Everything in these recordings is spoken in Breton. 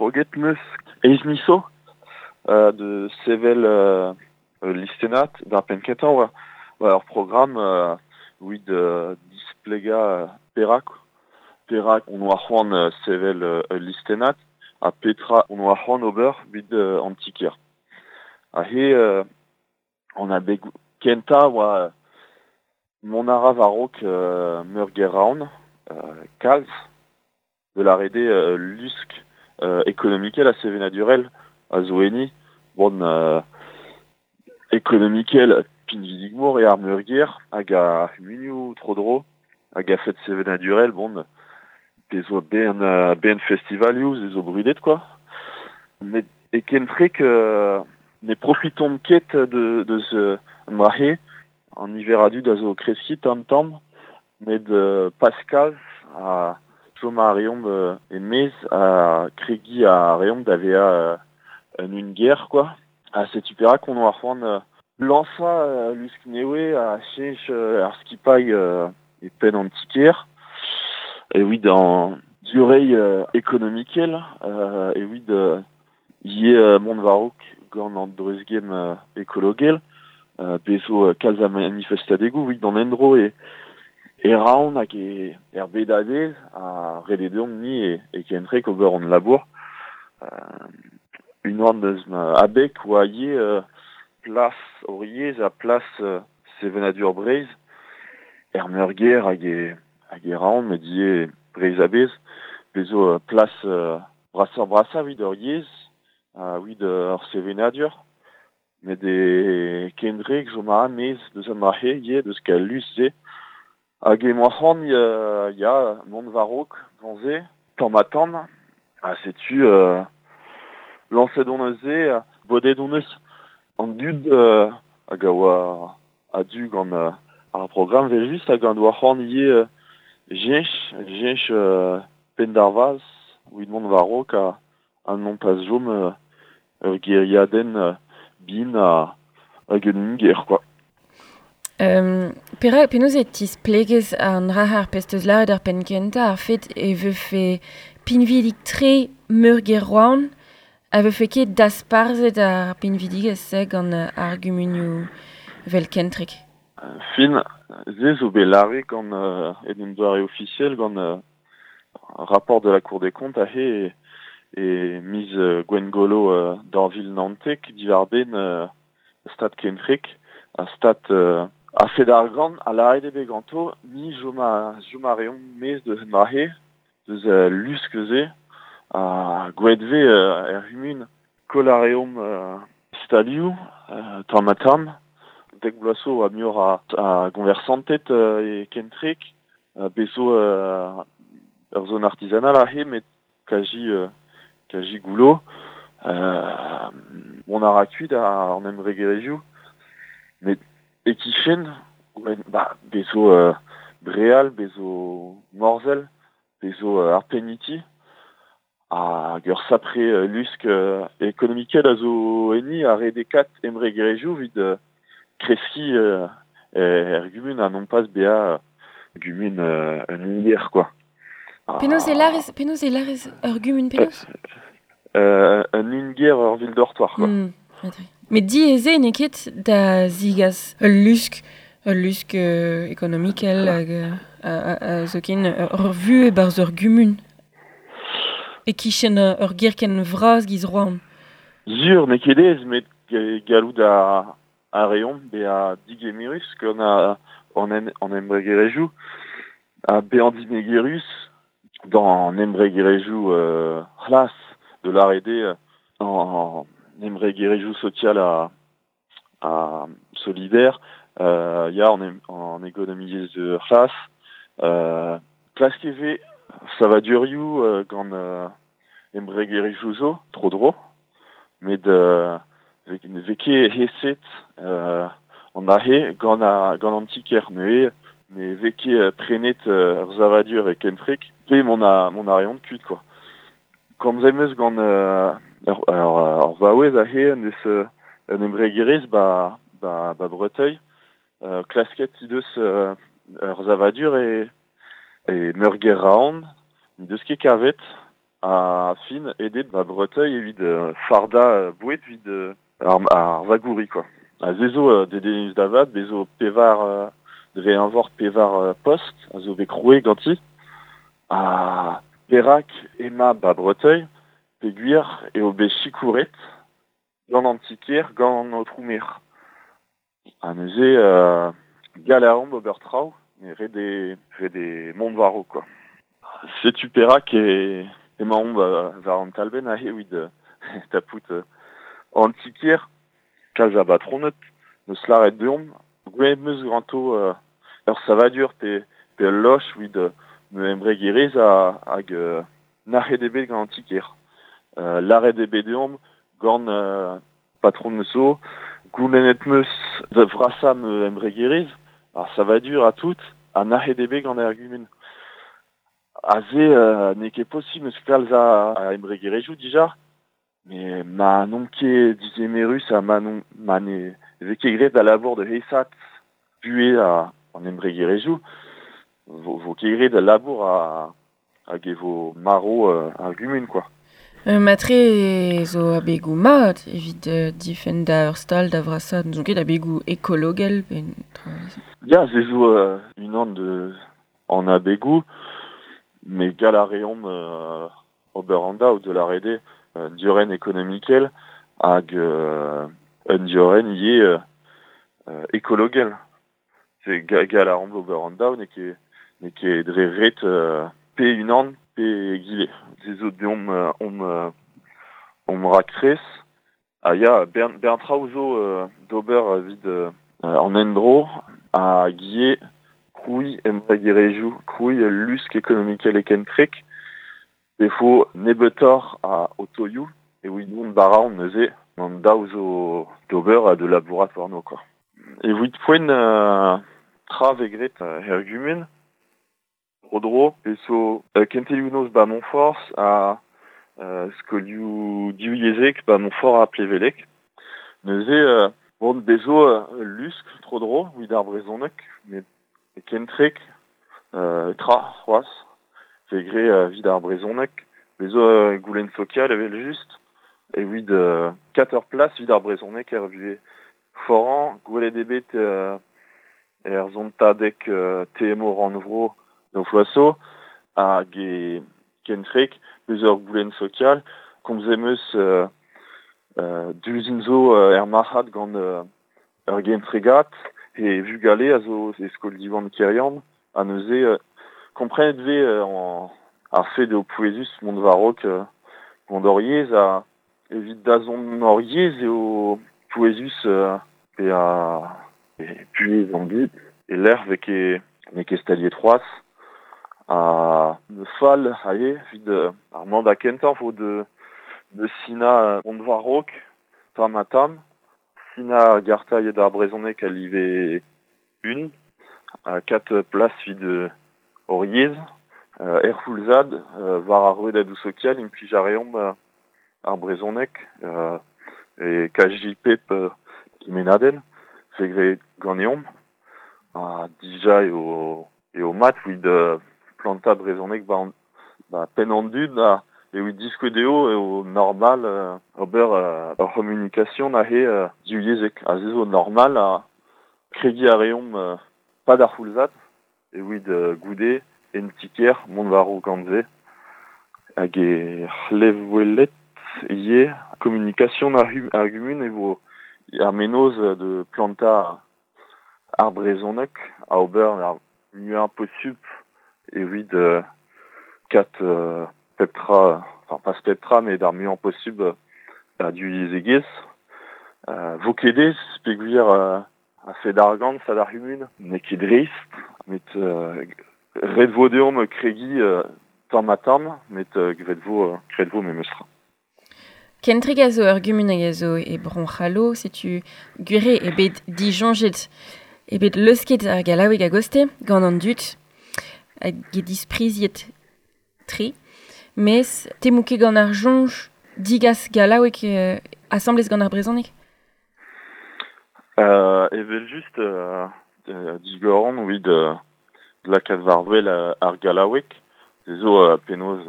Kroget meus eizh miz zo de sevel ul listennad d'ar penn-kentañ oa oa ur programm evit displegañ perak perak on oa c'hoant sevel ul listennad ha petra on oa c'hoant ober evit an ti-kêr. Aze an abeg kentañ oa mont a ra war-raok meurgêr Roazhon kalz de lâret eo lusk ekonomikel ha sevenadurel a zo enni. Bon ekonomikel pinvidik-mor eo ar meurgêr hag ar c'humunioù tro-dro hag a-fet sevenadurel bon pezh zo bern bern festivalioù se zo brudet quoi. Met e kentrek ne profitomp ket deus an dra-se. An niver a dud a zo o kreskiñ tamm-tamm met pas kalz ha chom a reomp e-maez ha kregiñ a reomp da vezañ un ungêr quoi. Ha setu perak on oa c'hoant lañsañ lusk nevez ha cheñch ar skipailh e penn an ti-kêr evit an diorreiñ ekonomikel evit ivez mont war-raok gant an dreuzgemm ekologel. Bez zo kalz a manifestadegoù evit an endro e e Roazhon hag e er bed a-bezh ha ret eo deomp-ni e kentrek ober hon labour. Unan eus ma abeg oa ivez plas hor yezh ha plas sevenadur Breizh er meurgêr hag e hag e Roazhon met ivez Breizh a-bezh. Bez zo plas brasoc'h-brasañ evit hor yezh ha evit hor sevenadur. Met e Kendreg zo ma maez deus an dra-se ivez, deus galloud-se. Hag emañ c'hoant ya mont war-raok gant se, tamm-ha-tamm. Ha setu lañset on neuze, bodet on eus an dud hag a oa a-du gant ar programm evel-just hag an doa c'hoant ivez cheñch, cheñch penn d'ar vazh evit mont war-raok ha non pas chom ur gêriadenn bihan hag un ungêr quoi. Perak penaos e tisplegez an dra ar pezh 'teus lâret ar penn-kentañ ar fet e vefe pinvidik-tre meurgêr Roazhon a vefe ket dasparzhet ar pinvidigezh-se gant ar gumunioù evel Kentreg? Fin, se zo bet lâret gant en un doare ofisiel gant rapport de la Cour des comptes aze e miz Gwengolo 2019 diwar-benn stad Kentreg ha stad a-fet argant ha lâret eo bet ganto ni chom a chom a reomp maez deus an dra-se deus lusk-se ha gwelet 'vez er c'humun koll a reomp stalioù tamm-ha-tamm dek bloaz zo oa muioc'h a goñversanted e Kentreg bez zo ur zone artisanal aze met kazi kazi goullo. Mont a ra kuit an embregerezhioù met e-kichen ba bez zo Breal, bez zo Morzhell, bez zo ar Peniti hag ur sapre lusk ekonomikel a zo enni ha redekat embregerezhioù evit kreskiñ er gumun ha non pas bezañ gumun un ungêr quoi. Penaos e lârez penaos e lârez ur gumun penaos? Un ungêr ur ville dortoir quoi. Met diaes eo n'eo ket da zigas ul lusk ul lusk ekonomikel hag zoken ur vuhez 'barzh ur gumun e-kichen ur gêr ken vras giz Roazhon. Sur n'eo ket aes met gallout a reomp bezañ digemerus gant an embregerezhioù ha bezañ digemerus d'an embregerezhioù c'hlas de lâret eo an embregerezhioù sokial ha solidaire ya an ekonomiezh c'hlas. Klask e vez savadurioù gant embregerezhioù zo tro-dro met ne vez ket aeset an dra-se gant gant an ti-kêr neuze ne vez ket prenet ur savadur e Kentreg pe mont a mont a reont kuit quoi. Komzet 'm eus gant ur vaouez aze en deus un embregerezh ba ba ba Breteuil klasket he deus ur savadur e e meurgêr Roazhon n'he deus ket kavet. A fin edet ba Breteuil evit farda bouet evit ar vagouri, quoi. A zezo dedenus davat, bezo pevar dre anvor pevar post, a zo bet kroe ganti. A perak ema ba Breteuil, peguir eo bet chikouret gant an tiker, gant an aotroumer. A neuze galaomp ober traoù, mais red e mont waro, quoi. Setu perak e emaomp war an talbenn aze evit tapout an tiker, kalz a batronet, neus lâret deomp, gwelet meus ganto ur savadur pe ul loch evit me embregerezh hag nac'het eo bet gant an tiker. Lâret eo bet deomp gant patron zo, goulennet meus da vrasañ me embregerezh, ar savadur ha tout, ha nac'het eo bet gant ar gumun. Aze n'eo ket posubl eus kalz a embregerezhioù dija, mais ma n'omp ket digemerus ha ma n'omp ma ne vez ket graet da labour de aesat buhez an embregerezhioù, vo ket graet da labour hag e vo maro ar gumun, quoi. Matre zo abegoù mat evit difenn da ur stal da vrasaat, n'zo ket abegoù ekologel pe tra. Ya, se zo unan de an abegoù, mais gal a reomp ober an daou de la rede diorren ekonomikel hag un diorren ivez ekologel. C'est gal a reomp ober an daou, n'eo ket dre ret pe unan pe egile. Se zo deomp omp raktres. Ah ya, bern traoù zo d'ober evit an endro hag ivez krouiñ embregerezhioù, krouiñ lusk ekonomikel e kentrek, defo nebeutoc'h a otoioù, evit mont bara neuze an daou zo d'ober ha de labourat warno, quoi. Evit poent tra vez graet er gumun, tro-dro, pe zo kentelioù noz ba Montfort ha skolioù divyezhek ba Montfort ha Plevelek. Neuze bon bezo lusk tro-dro evit ar brezhoneg, met kentrek tra c'hoazh, vez graet evit ar brezhoneg, bezo goulenn sokial evel just, evit 4 plas evit ar brezhoneg er vuhez foran, gwelet eo bet er zontadeg TMO rannvro d'o floaso, hag e kentrek, bezo ur goulenn sokial, komz em eus duzin zo er marc'had gant ur gentregat, e vugale a zo e skol Diwan Kerian, ha neuze komprenet vez ar fed eo pouezus mont war-raok gant hor yezh ha evit dazont hor yezh eo pouezus pe a puez an dud e lec'h vez ket n'eo ket staliet c'hoazh ha ne fall aze evit ar mandat kentañ vo de sinañ mont war-raok tamm ha tamm. Sina garta eo d'ar brezhoneg a live un, a kat plas evit hor yezh, er c'houlzad war ar rouedadoù sokial implij a reomp ar brezhoneg e KJP kemennadenn, vez graet ganeomp. Ha dija eo mat evit plantañ brezhoneg ba penn an dud ha evit diskouez dezho eo normal ober ur c'homunication aze divyezhek. Ha se zo normal ha krediñ a reomp pas d'ar c'houlzad evit goude en tiker mont war-raok gant se. Hag e c'hlevwelet ivez communication ar gumun e vo ar mennozh de plantañ ar brezhoneg a ober ar muiañ posubl evit kat pep tra, enfin pas pep tra, mais d'ar muiañ posubl a divyezhegezh. Vo ket aes peogwir a fed argant, sad ar c'humun, n'eo ket dreist, met ret vo deomp kregiñ tamm ha tamm, met graet vo memes tra. Kentrek a zo ur gumun hag a zo e Bro-C'hallo, setu gwir eo bet disoñjet, eo bet leusket ar gallaoueg a-goste gant an dud, hag e dispriziet tre, mes temoù ket gant ar soñj digas gallaoueg asambles gant ar brezhoneg? Evel just digoran evit lakaat war-wel ar gallaoueg, se zo penaos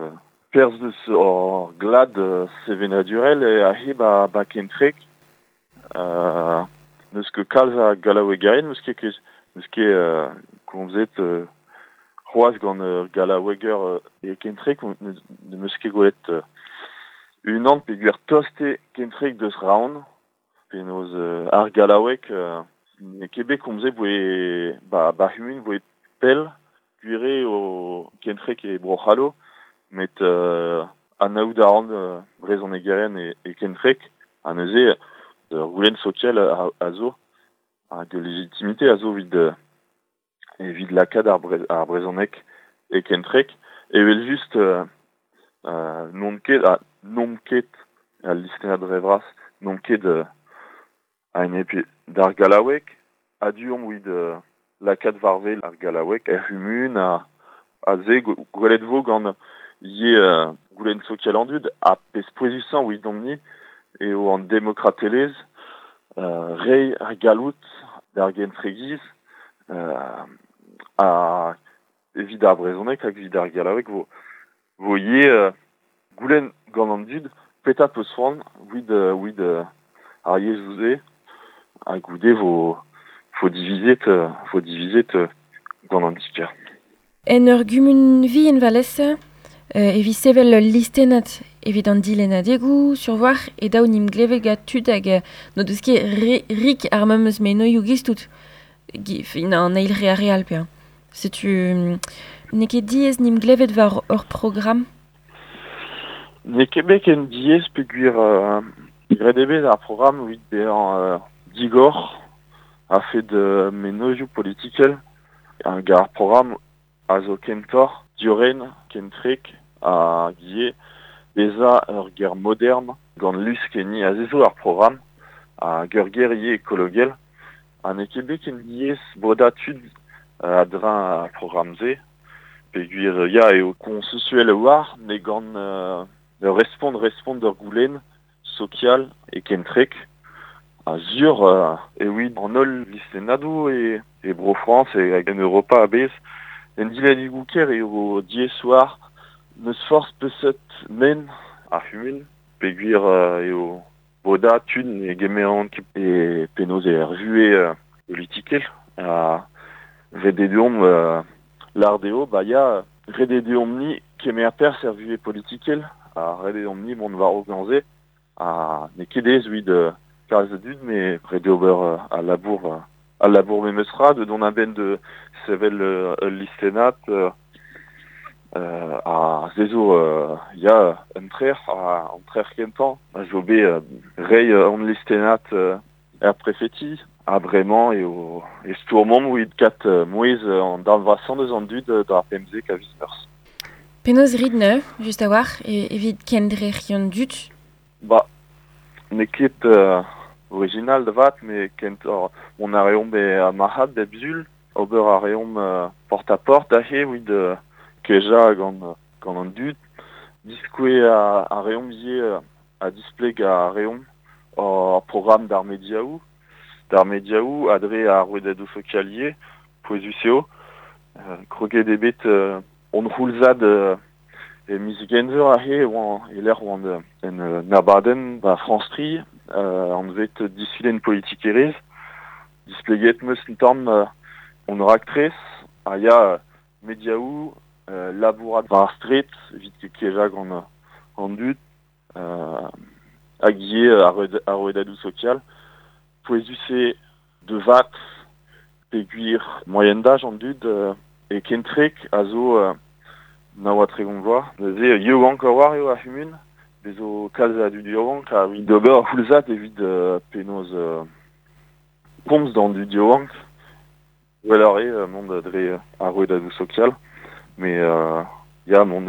Perzh deus hor glad sevenadurel e ahe ba Kentrek. N'eus ket kalz a gallaouegerien, n'eus ket komzet c'hoazh gant ur gallaoueger e Kentrek, n'eus ket gwelet unan peogwir tost eo Kentrek deus Roazhon, penaos ar gallaoueg n'eo ket bet komzet voe ba c'humun voe pell, gwir eo Kentrek e Bro-C'hallo, met anaout a ran brezhonegerien e Kentrek, ha neuze ur goulenn sokial a zo, hag legitimite a zo evit lakaat ar brezhoneg e Kentrek, evel just n'on ket al listennad dre vras, n'on ket a-enep d'ar gallaoueg, a-du omp evit lakaat war-wel ar gallaoueg er c'humun, a se gwelet vo gant ivez goulenn sokial an dud, ha pezh pouezusañ evidomp-ni eo an demokratelezh, reiñ ar galloud d'ar gentregiz, ha evit ar brezhoneg hag evit ar gallaoueg vo ivez goulenn gant an dud petra peus c'hoant evit ar yezhoù-se, ha goude vo divizet gant an ti-kêr. En ur gumun vihan valese, evit sevel ul listennad evit an dilennadegoù sur-war e daou n'im glevet gant tud hag n'o deus ket rik ar memes menoioù giz-tout. Fin an eil re ar re all pe'a. Setu n'eo ket diaes n'im glevet war ur programm? N'eo ket bet ken diaes peogwir graet eo bet ar programm evit bezañ digor a-fet mennozhioù politikel hag ar programm a zo kentoc'h diorren, Kentrek hag ivez bezañ ur ger modern gant lusk enni a zo ar programm hag ur ger ivez ekologel. Ha n'eo ket bet ken diaes bodañ tud a-dreñv ar programm-se peogwir ya eo konsensuel a-walc'h met gant respont d'ur goulenn sokial e Kentrek. Ha sur evit an holl listennadoù e Bro-Frañs hag en Europa a-bezh. En dilennadegoù kêr eo diaes war n'eus forzh peseurt men ar c'humun peogwir eo bodañ tud ne gemeront ket e penaos er vuhez politikel ha ret eo deomp lâr dezho ba ya ret eo deomp-ni kemer perzh er vuhez politikel ha ret eo deomp-ni mont war-raok gant-se ha n'eo ket aes evit kalz a dud met ret eo ober al labour memes tra de dont a-benn de sevel ul listennad a zezo ya un trec'h kentañ a zo bet reiñ an listennad er prefeti ha bremañ eo e stourmomp evit kat mouezh an darn vrasañ deus an dud d'ar 15 a viz Meurzh. Penaos rit neuze, just a-walc'h, evit kendrec'hiñ an dud? Ba, n'eo ket original da vat, met kentoc'h mont a reomp e marc'had bep sul, ober a reomp porte-à-porte aze evit kejañ gant an dud, diskouez a reomp ivez ha displeg a reomp hor programm d'ar mediaoù ha dre ar rouedadoù sokial ivez, pouezus eo. Kroget eo bet hon c'houlzad e miz Genver aze e lec'h oant en abadenn ba France 3 anvet disulenn politikerezh. Displeget 'meus un tamm hon raktres ha ya mediaoù labourat war ar straed evit kejañ gant an dud hag ivez ar rouedadoù sokial. Pouezus eo de vat peogwir moaien d'aj an dud e Kentrek a zo 39 vloaz. Neuze yaouank a-walc'h eo ar c'humun, bez zo kalz a dud yaouank ha evit ober ar c'houlzad evit penaos komz d'an dud yaouank. Gwelloc'h eo mont dre ar rouedadoù sokial, met ya mont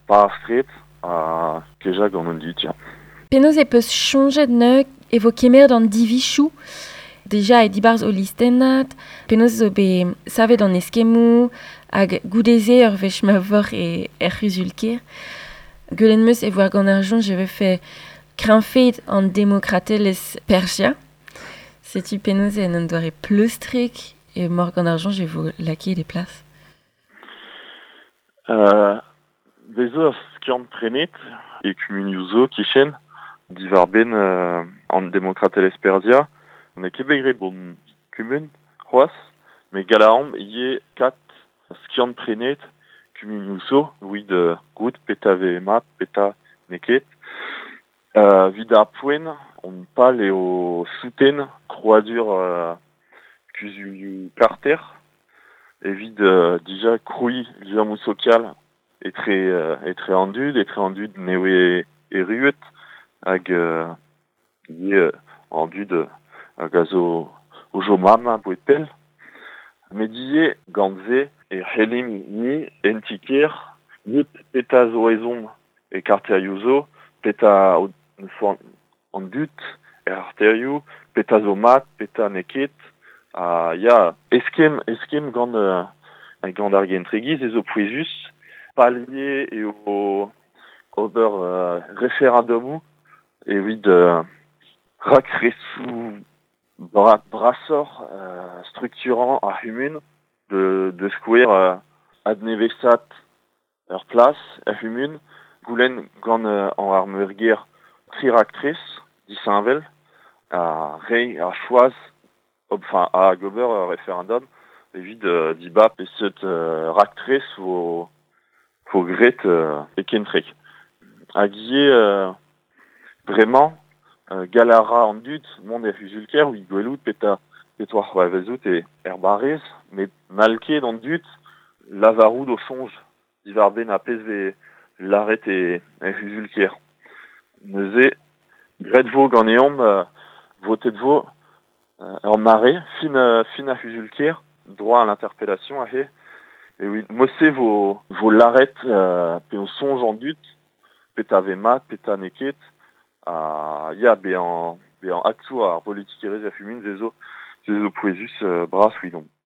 war ar straed ha kejañ gant an dud, ya. Penaos e peus soñjet neuze e vo kemeret an divizoù deja e dibarzh ho listennad, penaos zo bet savet an eskemmoù hag goude-se ur wech ma voc'h er c'huzul-kêr. Gwelet 'meus e voar gant ar soñj e vefe kreñvaet an demokratelezh Persia. Setu penaos en un doare pleustrek e mor gant ar soñj e vo lakaet e plas. Bez zo ur skiant prenet e kumunioù zo kichen diwar ben an demokratelezh perzhiañ. N'eo ket bet graet bon kumun c'hoazh, met galaomp ivez kat skiant prenet kumunioù zo evit goût petra vez mat, petra n'eo ket. Evit ar poent, on pal eo souten krouadur kuzulioù karter evit dija krouiñ liammoù sokial etre etre an dud, etre an dud nevez erruet hag ivez an dud hag a zo o chom amañ aboe pell. Met ivez gant se e c'hellimp ni en ti-kêr goût petra zo ezhomm e karterioù zo, petra an dud er arterioù, petra zo mat, petra n'eo ket. Ha ya, eskemm, eskemm gant gant ar gentregiz ez zo pouezus. Palier eo ober referendumoù evit rakresoù brasoc'h strukturañ ar c'humun de skouer adnevesat ur plas er c'humun, goulenn gant an ar meurgêr tri raktres disheñvel ha reiñ ar choaz enfin hag ober ur referendum evit dibab peseurt raktres vo graet e kentrek. Hag ivez bremañ gall a ra an dud mont er c'huzul-kêr evit gwelout petra petra c'hoarvezout er barrez, met n'hall ket an dud lavarout o soñj diwar-benn ar pezh vez lâret er c'huzul-kêr. Neuze, graet vo ganeomp, votet vo ur mare, fin fin ar c'huzul-kêr, droit à l'interpellation aze, evit mod-se vo vo lâret pe o soñj an dud, petra vez mat, petra n'eo ket, ha ya, bezañ bezañ aktour ar politikerezh er c'humun se zo pouezus bras evidomp.